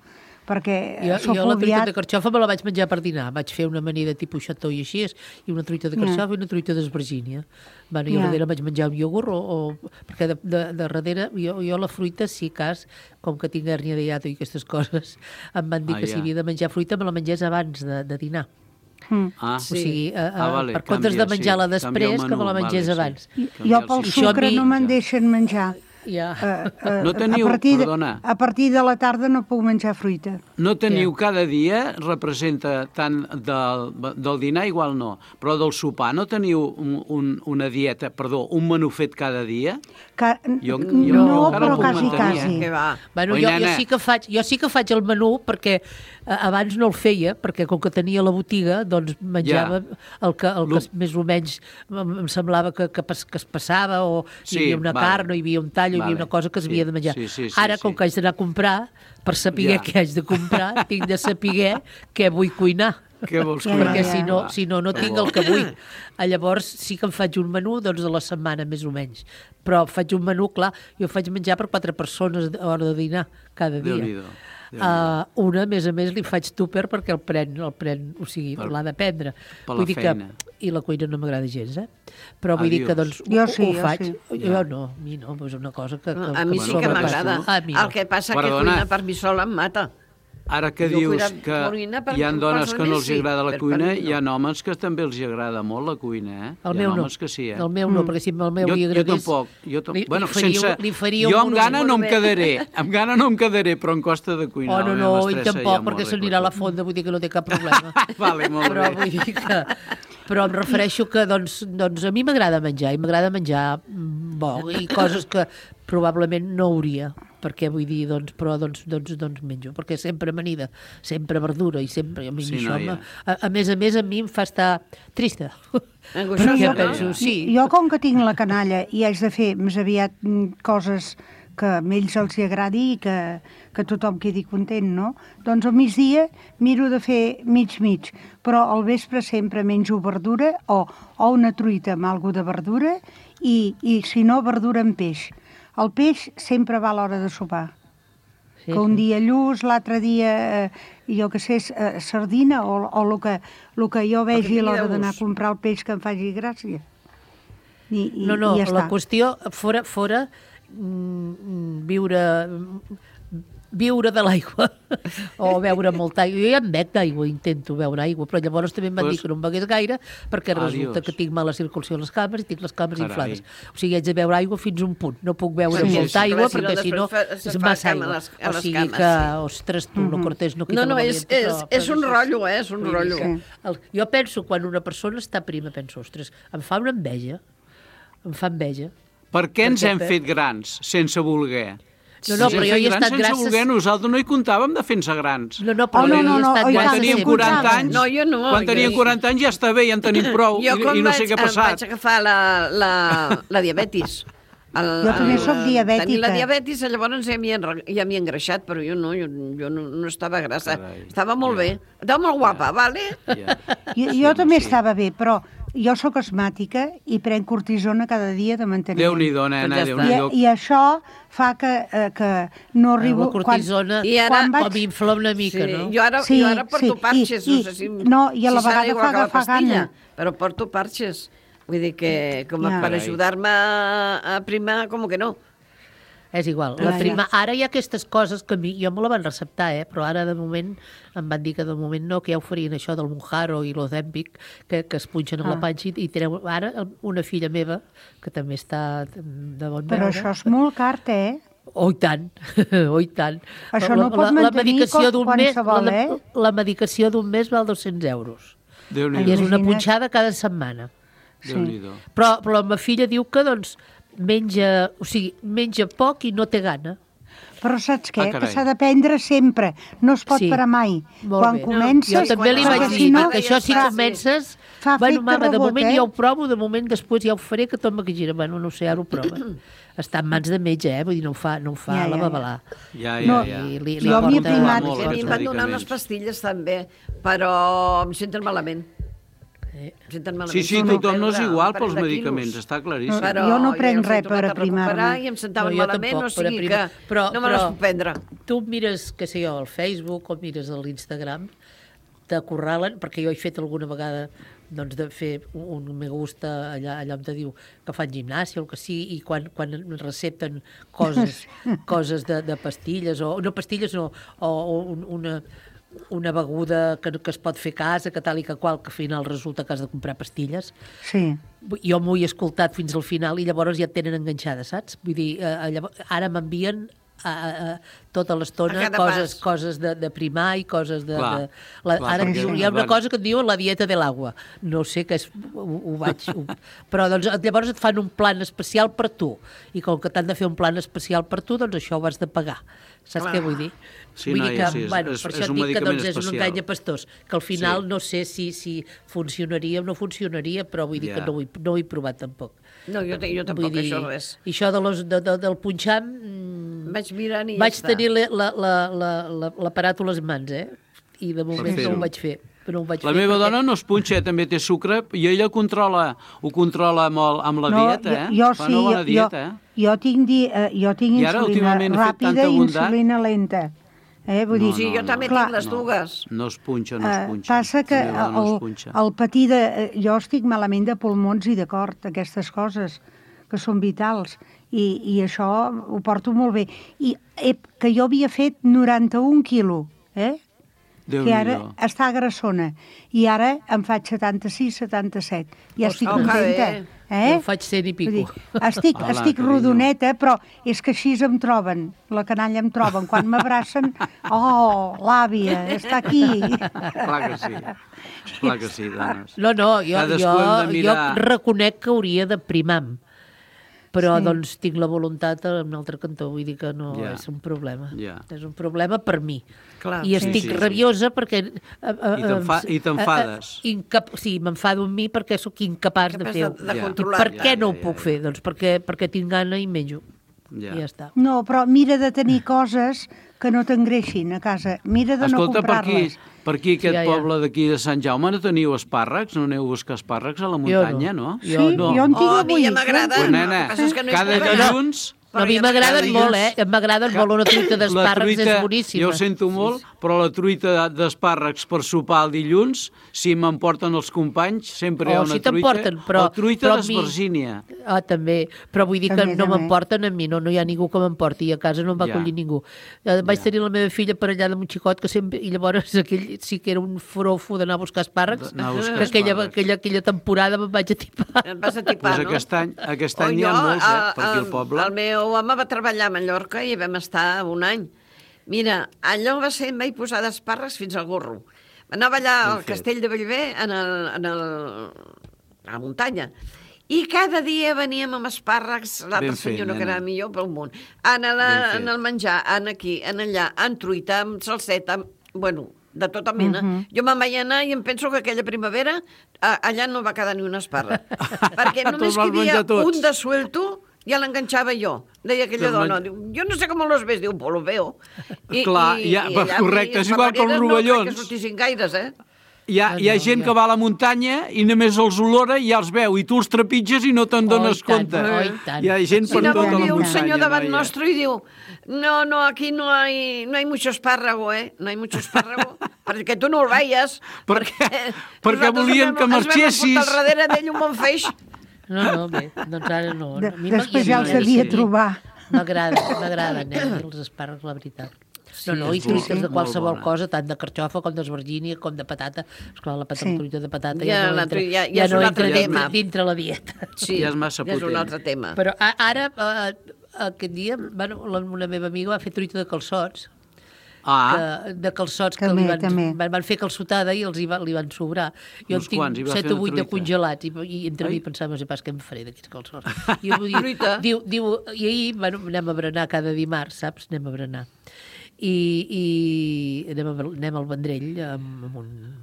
perquè jo la truita de carxofa me la vaig menjar per dinar. Vaig fer una amanida tipus xató i així, i una truita de carxofa i una truita d'esvergínia. I a darrere vaig menjar un iogurt, perquè de darrere jo la fruita, si cas, com que tinc hèrnia de hiato i aquestes coses, em van dir que si havia de menjar fruita me la mengés abans de dinar. O sigui, per comptes de menjar-la després, que me la mengés abans. Jo pel sucre no me'n deixen menjar. No teniu, perdona. A partir de la tarda no puc menjar fruita. No teniu cada dia, representa tant del dinar, igual no, però del sopar, no teniu una dieta, un menú fet cada dia? No, però quasi. Bueno, jo sí que faig el menú, perquè abans no el feia, perquè com que tenia la botiga, doncs menjava el que més o menys em semblava que es passava, o hi havia una carn, o hi havia un tall, hi havia una cosa que s'havia de menjar. Ara, com que haig d'anar a comprar, per saber què haig de comprar, tinc de saber què vull cuinar. Què vols cuinar? Perquè si no tinc el que vull. Llavors sí que em faig un menú de la setmana, més o menys. Però faig un menú, clar, jo faig menjar per 4 persones a hora de dinar cada dia. Una, a més, li faig tupper perquè el pren, o sigui, l'ha de prendre. Per la feina. I la cuina no m'agrada gens, Però vull dir que, doncs, ho faig. Jo no, a mi no, és una cosa que a mi sí que m'agrada. El que passa que cuinar per mi sola em mata. Ara que dius que hi ha dones que no els agrada la cuina, hi ha homes que també els agrada molt la cuina, El meu no, perquè si el meu li agradés... Jo tampoc. Jo amb gana no em quedaré, però em costa de cuinar. No, i tampoc, perquè s'anirà a la fonda, vull dir que no té cap problema. Vale, molt bé. Però vull dir que... Però em refereixo que, doncs a mi m'agrada menjar, bo, i coses que probablement no hauria, perquè vull dir, però menjo, perquè sempre amanida, sempre verdura, i sempre, a mi això, a més, a mi em fa estar trista. Jo, com que tinc la canalla i haig de fer més aviat coses que a ells els agradi i que tothom quedi content, no? Doncs al migdia miro de fer mig, però al vespre sempre menjo verdura o una truita amb alguna de verdura i si no, verdura amb peix. El peix sempre va a l'hora de sopar. Que un dia lluç, l'altre dia, jo que sé, sardina o el que jo vegi a l'hora d'anar a comprar el peix que em faci gràcia. No, la qüestió, fora viure de l'aigua o beure molta aigua. Jo ja em bec d'aigua, intento beure aigua, però llavors també em van dir que no em begués gaire perquè resulta que tinc mala circulació a les cames i tinc les cames inflades. O sigui, haig de beure aigua fins a un punt. No puc beure molta aigua perquè si no és massa aigua. O sigui que, ostres, tu, lo cortés no quita la valiente. És un rotllo, és un rotllo. Jo penso, quan una persona està prima, penso, ostres, em fa una enveja. Em fa enveja. Per què ens hem fet grans sense voler? No, però jo he estat grans... Sense voler, nosaltres no hi comptàvem de fer-nos grans. No, però jo he estat grans... Quan teníem 40 anys... No, jo no. Quan teníem 40 anys ja està bé, ja en tenim prou, i no sé què ha passat. Jo quan vaig agafar la diabetis... Jo també soc diabètica. Tenir la diabetis, llavors ja m'hi he engreixat, però jo no estava grassa. Estava molt bé. Estava molt guapa, vale? Jo també estava bé, però... Jo sóc asmàtica i prenc cortisona cada dia de manteniment. Déu-n'hi-do, nena, Déu-n'hi-do. I això fa que no arribo... La cortisona com infla una mica, no? Jo ara porto parxes, no sé si... No, i a la vegada fa agafar gana. Però porto parxes. Vull dir que per ajudar-me a primar, com que no. És igual. Ara hi ha aquestes coses que jo me la van receptar, però ara de moment em van dir que de moment no, que ja oferien això del Mounjaro i l'Ozempic, que es punxen amb la panxa i tenen ara una filla meva, que també està de bon veure. Però això és molt car, Oh, i tant, oh, i tant. Això no pot mantenir qualsevol, La medicació d'un mes val 200 euros. I és una punxada cada setmana. Però la meva filla diu que, doncs, menja poc i no té gana. Però saps què? Que s'ha de prendre sempre. No es pot parar mai. Quan comences... Jo també li vaig dir, perquè això si comences... Bueno, mama, de moment ja ho provo, de moment després ja ho faré, que tot que gira. Bueno, no sé, ara ho prova. Està en mans de metge, vull dir, no ho fa la babalà. Ja. Jo havia primat. A mi em van donar unes pastilles també, però em senten malament. Sí, tothom no és igual pels medicaments, està claríssim. Jo no prenc res per aprimar-me. I em sentaven malament, o sigui que no me les puc prendre. Tu mires, què sé jo, al Facebook o mires a l'Instagram, t'acorralen, perquè jo he fet alguna vegada doncs, de fer un me gusta allà on te diu que fan gimnàsia o el que sigui, i quan recepten coses de pastilles, o no pastilles, no, o una beguda que es pot fer a casa, que tal i que qual, que al final resulta que has de comprar pastilles. Sí. Jo m'ho he escoltat fins al final i llavors ja et tenen enganxada, saps? Vull dir, ara m'envien tota l'estona coses de primar i coses de... Ara hi ha una cosa que et diuen la dieta de l'aigua. No sé què és, però doncs, llavors et fan un plan especial per tu, i com que t'han de fer un plan especial per tu, doncs això ho has de pagar. Saps què vull dir? Sí, noia, sí, per això et dic que doncs, és un engany a pastors, que al final no sé si funcionaria o no funcionaria, però vull dir que no ho he provat tampoc. No, jo tampoc, això res. I això del punxam... Vaig mirant i ja està. Vaig tenir l'aparat a les mans, i de moment no ho vaig fer. La meva dona no es punxa, també té sucre, i ella ho controla molt amb la dieta, Fa una bona dieta, Jo tinc insulina ràpida i insulina lenta. Vull dir, Sí, jo també clar, tinc les dues. No es punxa, no es punxa. Passa que La meva no es punxa. el patir de... Jo estic malament de pulmons i de cor, aquestes coses que són vitals, i això ho porto molt bé. I que jo havia fet 91 quilos, que ara està grassona, i ara em faig 76, 77. Ja estic contenta. Jo faig 100 i pico. Estic rodoneta, però és que així em troben, la canalla em troben. Quan m'abracen, l'àvia, està aquí. Clar que sí, dones. No, jo reconec que hauria de primar-me, però doncs tinc la voluntat en un altre cantó, vull dir que no és un problema. És un problema per mi. I estic rabiosa perquè... I t'enfades. Sí, m'enfado amb mi perquè sóc incapaç de fer-ho. I per què no ho puc fer? Doncs perquè tinc gana i menjo. I ja està. No, però mira de tenir coses que no t'engreixin a casa. Mira de no comprar-les. Per aquí, aquest poble d'aquí de Sant Jaume, no teniu espàrrecs? No aneu a buscar espàrrecs a la muntanya, no? Sí, jo en tinc avui. A mi ja m'agrada. Nena, cada dilluns... A mi m'agraden molt, m'agraden molt. Una truita d'espàrrecs és boníssima. Jo ho sento molt, però la truita d'espàrrecs per sopar el dilluns, si m'emporten els companys, sempre hi ha una truita. O truita d'esvergínia. També, però vull dir que no m'emporten a mi, no hi ha ningú que m'emporti, i a casa no em va acollir ningú. Vaig tenir la meva filla per allà de un xicot, i llavors aquell sí que era un forofo d'anar a buscar espàrrecs, que aquella temporada me'n vaig atipar. Em vas atipar, no? Aquest any hi ha molts, per aquí al poble. El meu home va treballar a Mallorca i vam estar un any. Mira, allò va ser, em vaig posar d'espàrrecs fins al gorro. Anava allà al castell de Bellver, a la muntanya, i cada dia veníem amb espàrrecs, l'altra senyora que era millor pel món, en el menjar, en aquí, en allà, en truita, amb salseta, bueno, de tota mena. Jo me'n vaig anar i em penso que aquella primavera allà no va quedar ni un espàrrec. Perquè només que hi havia un de suelto, ja l'enganxava jo. Deia aquella dona, jo no sé com los ves, diu, pues lo veo. Clar, correcte, és igual que els rovellons. No crec que sortissin gaires, Hi ha gent que va a la muntanya i només els olora i ja els veu, i tu els trepitges i no te'n dones compte. Hi ha gent per tota la muntanya. Un senyor davant nostre i diu, no, aquí no hay mucho espárrago, no hay mucho espárrago, perquè tu no el veies. Perquè volien que marxessis. Ens vam al darrere d'ell un bon feix. No, bé, doncs ara no. Després ja els devia trobar. M'agraden els espàrrecs, la veritat. I truites de qualsevol cosa, tant de carxofa com d'esvergínia, com de patata. Esclar, la truita de patata ja no entra dintre la dieta. Sí, ja és un altre tema. Però ara, aquest dia, una meva amiga va fer truita de calçots, de calçots que van fer calçotada i li van sobrar. Jo en tinc 7 o 8 de congelats i entre mi pensava, no sé pas què em faré d'aquests calçots. I ahir anem a berenar cada dimarts, saps? Anem a berenar. I anem al Vendrell amb un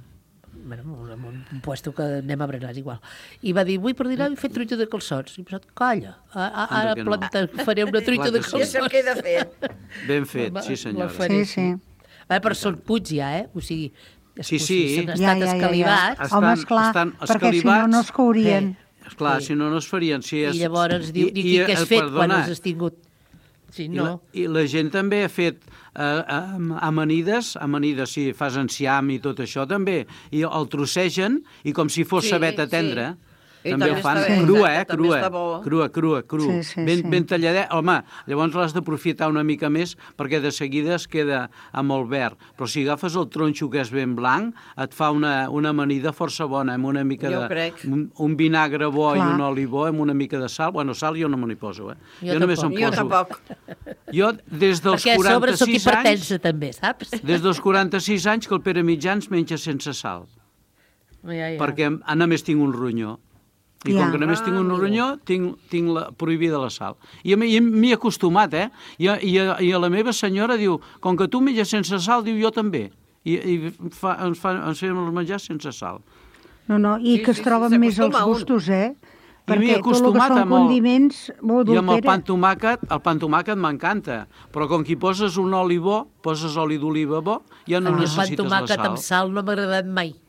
puesto que anem a berenar, igual. I va dir, vull per dinar fer truita de calçots. I he pensat, calla, ara faré una truita de calçots. Ja sé el que he de fer. Ben fet, sí senyora. Sí. Però són puts ja, o sigui, sí. S'han estat escalivats. Home, esclar, perquè si no es courien. Esclar, si no es farien. I llavors diu, què has fet quan els has tingut? Sí, no. I la gent també ha fet amanides, sí, fas enciam i tot això també, i el trossegen i com si fos sabeta tendra. També ho fan crua, ben talladet. Home, llavors l'has d'aprofitar una mica més perquè de seguida es queda amb el verd. Però si agafes el tronxo que és ben blanc, et fa una amanida força bona, amb una mica un vinagre bo i un oli bo, amb una mica de sal. Bueno, sal jo no me n'hi poso, Jo només em poso. Jo tampoc. Jo, des dels 46 anys... Perquè a sobre sóc hipertensa, també, saps? Des dels 46 anys que el Pere Mitjans menja sense sal. Perquè només tinc un ronyó. I com que només tinc un ronyó, tinc prohibida la sal. I m'hi he acostumat, I a la meva senyora diu, com que tu menges sense sal, diu, jo també. I ens fem els menjars sense sal. No, i que es troben més els gustos, Perquè tot el que són condiments molt adultera. I amb el pa amb tomàquet m'encanta, però com que hi poses un oli bo, poses oli d'oliva bo, ja no necessites la sal. El pa amb tomàquet amb sal no m'ha agradat mai.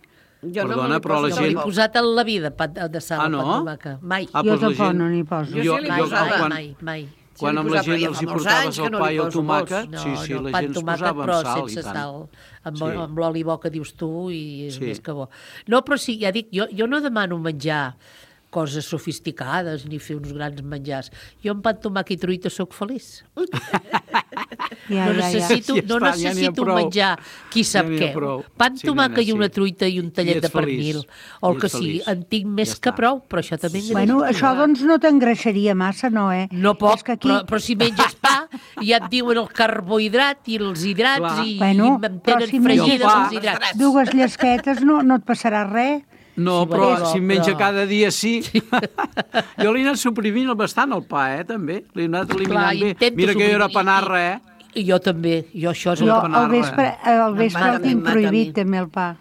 Perdona, però la gent... No l'he posat en la vida, de sal, no? Mai. Jo tampoc no n'hi poso. Jo mai. Quan amb la gent els hi portaves el pa i el tomàquet, No, sí, no, la pa gent es tomàquet, posava però amb sal i sense tant. sal, amb, Sí. amb l'oli bo que dius tu, i és Sí. més que bo. No, però sí, ja dic, jo no demano menjar coses sofisticades ni fer uns grans menjars. Jo amb pa, tomàquet i truita sóc feliç. No necessito, Ja no està, ja n'hi ha necessito prou. menjar qui sap Ja n'hi ha què. prou. Pa, Sí, tomàquet nena, i una sí. truita i un tallet I de ets feliç. pernil, o el I que ets sigui. feliç. En tinc més Ja que està. prou, però això també engreix. Bueno, això doncs no t'engreixaria massa, no, eh? No poc, És que aquí... però si menges pa, ja et diuen el carbohidrat i els hidrats Clar. i Bueno, em però tenen si fregides menges els hidrats. dues llesquetes no et passarà res. No, Sí, però bueno, si en menja però- cada dia sí. Jo l'he anat suprimint bastant el pa, també. L'he anat eliminant bé. intento Mira que jo era suprimir panarra, I jo també, jo això és Jo el el que panarra. al vespre el tinc M'agrada prohibit, també, el pa.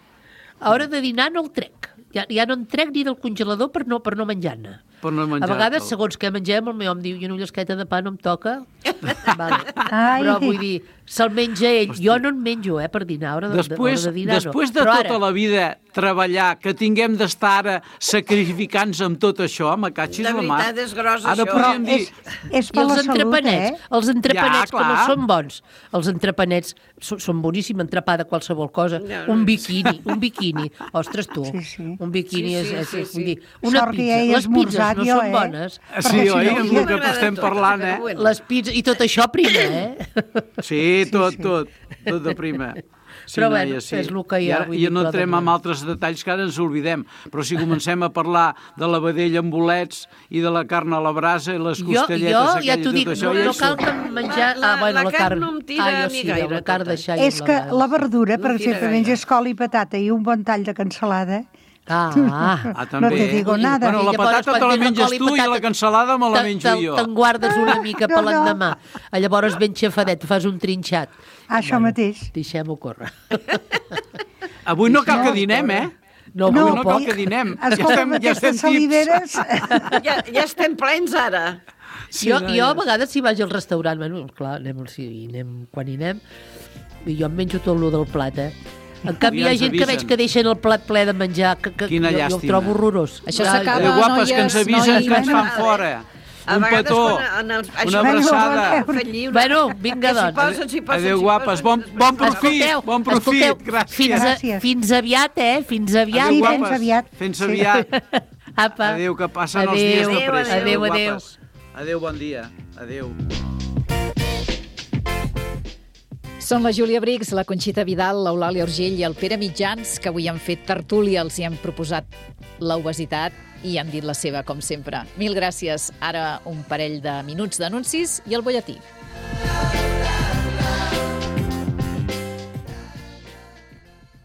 A hora de dinar no el trec. Ja no en trec ni del congelador per no menjar-ne. Per no A menjar. vegades, segons què mengem, el meu home diu, jo una llesqueta de pa no em toca. Vale. Ai. Però vull dir, se'l menja ell. Jo no en menjo, per dinar. A hora de dinar Després no. de Però tota la vida treballar, que tinguem d'estar ara sacrificant-nos amb tot això, me catxis De la mà. veritat, és gros, Ara això. podríem dir... És I per la els salut, entrepanets, eh? els entrepanets Ja, que no clar. són bons. Els entrepanets són boníssims, entrepà de qualsevol cosa. Un biquini. Ostres, tu, un biquini és vull dir, una Sort que ja pizza. he Les pizzas esmorzat no jo, són bones. Sí, oi? Amb el que estem parlant, Les pizzas, i tot això prima, Sí, tot de prima. Sí, Però noia, bueno, sí. és el que hi ha, I ara, vull i dir, no però entrem en altres detalls que ara ens oblidem. Però si comencem a parlar de la vedella amb bolets i de la carn a la brasa i les Jo costelletes ja aquelles t'ho i dic, tot això... no cal que menjar... la carn no em tira jo ni sí, gaire, la carn de tota. xai. És que la verdura, per No tira exemple, gaire. menges col i patata i un bon tall de cansalada. també. No te digo nada. Bueno, la I llavors, patata te quan la tens menges col i tu i patata, la cansalada me la menjo jo. Te'n guardes una mica per No. l'endemà. Llavors ben xafadet, fas un trinxat. Això mateix. Deixem-ho córrer. Avui no cal que dinem, eh? No, avui no cal que dinem. Escolta, amb aquestes saliveres... Ja estem plens, ara. Jo a vegades si vaig al restaurant, bueno, clar, anem quan hi anem, i jo em menjo tot lo del plat, En canvi, hi ha gent que veig que deixen el plat ple de menjar, que Quina jo el llàstima. trobo horrorós. Això s'acaba, guapes, que ens avisen que ens fan fora. Un petó, una abraçada. Bueno, vinga, doncs. Adéu, guapes. Bon profit, bon profit. Gràcies. Fins aviat, Fins aviat. Adéu, guapes. Fins aviat. Apa. Adéu, que passen els dies de pressa. Adéu. Guapes. Adéu, bon dia. Adéu. Són la Júlia Brix, la Conxita Vidal, l'Eulàlia Urgell i el Pere Mitjans, que avui han fet tertúlia, els hi han proposat l'obesitat i han dit la seva, com sempre. Mil gràcies. Ara un parell de minuts d'anuncis i el butlletí.